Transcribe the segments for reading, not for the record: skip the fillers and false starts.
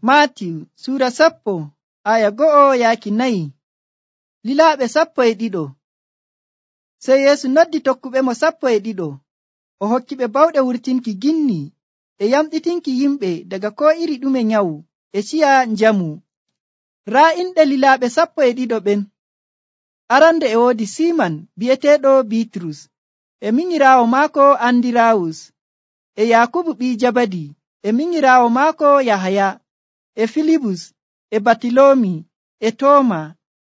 Maatiw suura 10:1-4. Lilaaɓe 12. Sey Yeesu noddi tokkuɓemo 12 o hokkiɓe bawɗe wurtinki ginni e yamɗitinki yimɓe daga koo iri ɗume nyawu e ciya njamu. Raa inɗe lilaaɓe 12 ɓen. Arande e woodi Siiman bi'eteeɗo Biitrus e minyiraawo maako Andiraawus e Yaakubu ɓii Jabadi e minyiraawo maako Yahaya e Filibus e Batiloomi e Tooma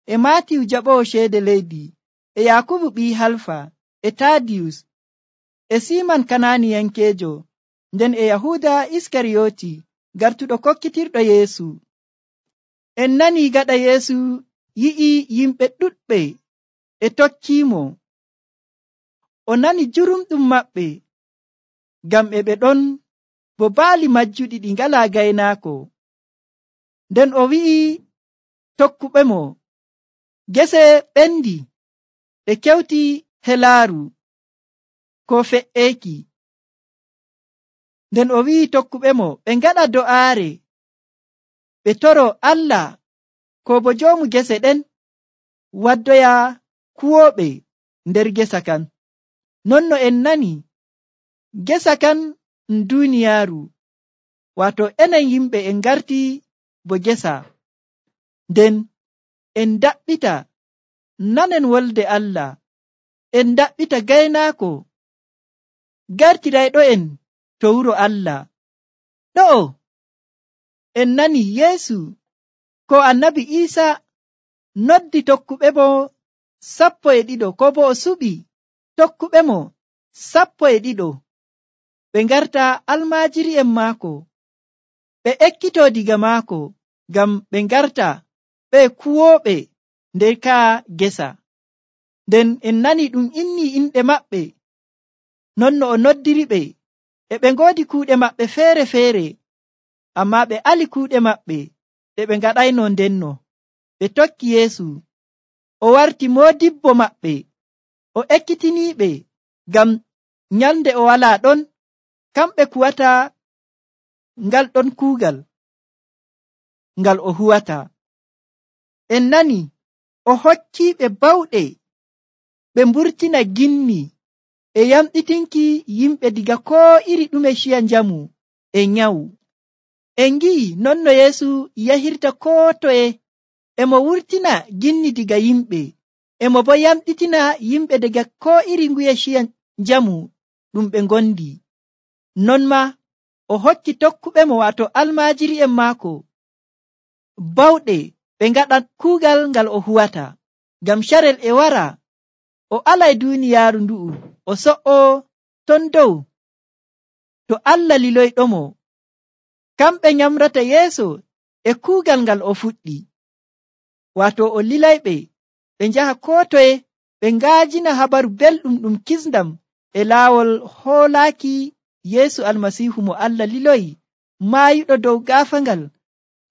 e Maatiw jaɓoowo ceede leydi e Yaakubu ɓii Halfa e Taadiyus e Siiman Kanaaniyankeejo nden e Yahuuda Iskariyooti gartuɗo kokkitirɗo Yeesu. En nanii gaɗa Yeesu yi'i yimɓe ɗuɗɓe e tokkiimo. O nani jurumɗum maɓɓe ngam ɓe ɗon bo baali majjuɗi ɗi ngalaa gaynaako. Nden o wi'i tokkuɓemo, gese ɓendi ɗe kewti helaaru ko fe'eeki. Nden o wi'i tokkuɓemo ɓe ngaɗa do'aare ɓe toro Allah ko bo joomu gese ɗen waddoya kuwooɓe nder gesa kan. Non no en nani, gesa kan duuniyaaru, waato enen yimɓe en ngarti bo gesa. Nden en daɓɓita nanen wolde Allah, en daɓɓita gaynaako gartirayɗo'en to wuro Allah. Ɗo'o en nani Yeesu ko Annabi Iisa noddi tokkuɓemo 12 ko bo o suɓi tokkuɓemo 12 ɓe ngarta almaajiri'en maako, ɓe ekkitoo diga maako ngam ɓe ngarta ɓe kuwooɓe nder kaa gesa. Nden en nani ɗum innii inɗe maɓɓe non no o noddiriɓe e ɓe ngoodi kuuɗe maɓɓe feere-feere, ammaa ɓe ali kuuɗe maɓɓe ɗe ɓe ngaɗayno ndenno. Ɓe tokki Yeesu. O warti moodibbo maɓɓe. O ekkitiniiɓe ngam nyalnde o walaa ɗon, kamɓe kuwata ngal ɗon kuugal ngal o huwata. En nani o hokkiiɓe bawɗe ɓe mburtina ginni e yamɗitinki yimɓe diga koo iri ɗume ciya njamu e nyawu. En ngi'i non no Yeesu yahirta koo toye e mo wurtina ginni diga yimɓe, e mo bo yamɗitina yimɓe daga koo iri nguye ciya njamu ɗum ɓe ngondi. Non ma o hokki tokkuɓemo waato almaajiri'en maako bawɗe ɓe ngaɗa kuugal ngal o huwata, ngam carel e wara o alay duuniyaaru ndu'u o so'o ton dow to Allah liloyɗomo. Kamɓe nyamrata yeeso e kuugal ngal o fuɗɗi, waato o lilayɓe ɓe njaha koo toye ɓe ngaajina habaru belɗum ɗum kisndam e laawol hoolaaki Yeesu Almasiihu mo Allah liloyi maayuɗo dow gaafangal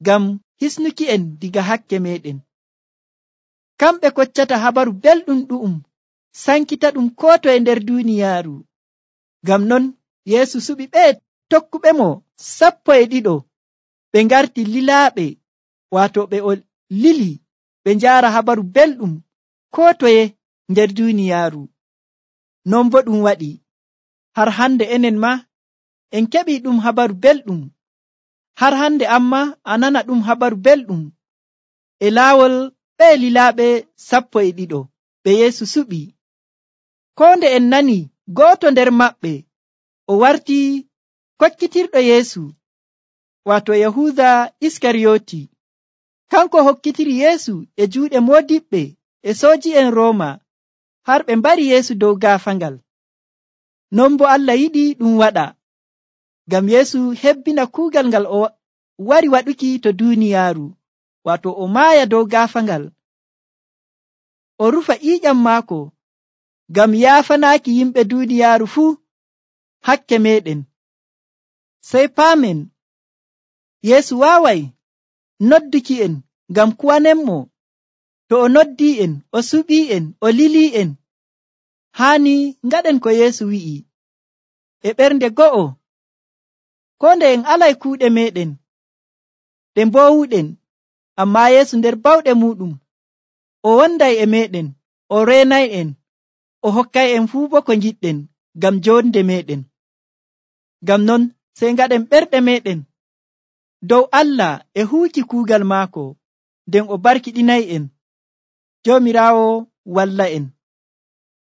ngam hisnuki en diga hakke meɗen. Kamɓe koccata habaru belɗum ɗu'um sankita ɗum koo toye nder duuniyaaru. Ngam non Yeesu suɓi ɓe tokkuɓemo 12 ɓe ngarti lilaaɓe, waato ɓe o lili ɓe njaara habaru belɗum koo toye nder duuniyaaru. Non bo ɗum waɗi har hande enen ma en keɓi ɗum habaru belɗum. Har hande amma a nana ɗum habaru belɗum e laawol ɓe lilaaɓe 12 ɓe Yeesu suɓi. Koo nde en nani gooto nder maɓɓe o warti kokkitirɗo Yeesu, waato Yahuuda Iskariyooti. Kanko hokkitiri Yeesu e juuɗe moodiɓɓe e sooji'en Rooma har ɓe mbari Yeesu dow gaafangal. Non bo Allah yiɗi ɗum waɗa, ngam Yeesu hebbina kuugal ngal o wari waɗuki to duuniyaaru, waato o maaya dow gaafangal, o rufa ƴiiƴam maako ngam yaafanaaki yimɓe duuniyaaru fuu hakke meɗen. Sey paamen Yeesu waaway nodduki en ngam kuwanenmo. To o noddi'en, o suɓii'en, o lilii'en, haani ngaɗen ko Yeesu wi'i e ɓernde go'o. Koo nde en alay kuuɗe meɗen, ɗe mboowuɗen, ammaa Yeesu nder bawɗe muɗum o wonday e meeɗen, o reenay'en, o hokkay'en fuu bo ko ngiɗɗen ngam jonde meeɗen. Ngam non sey ngaɗen ɓerɗe meeɗen dow Allah e huuki kuugal maako, nden o barkiɗinay'en. Joomiraawo walla'en.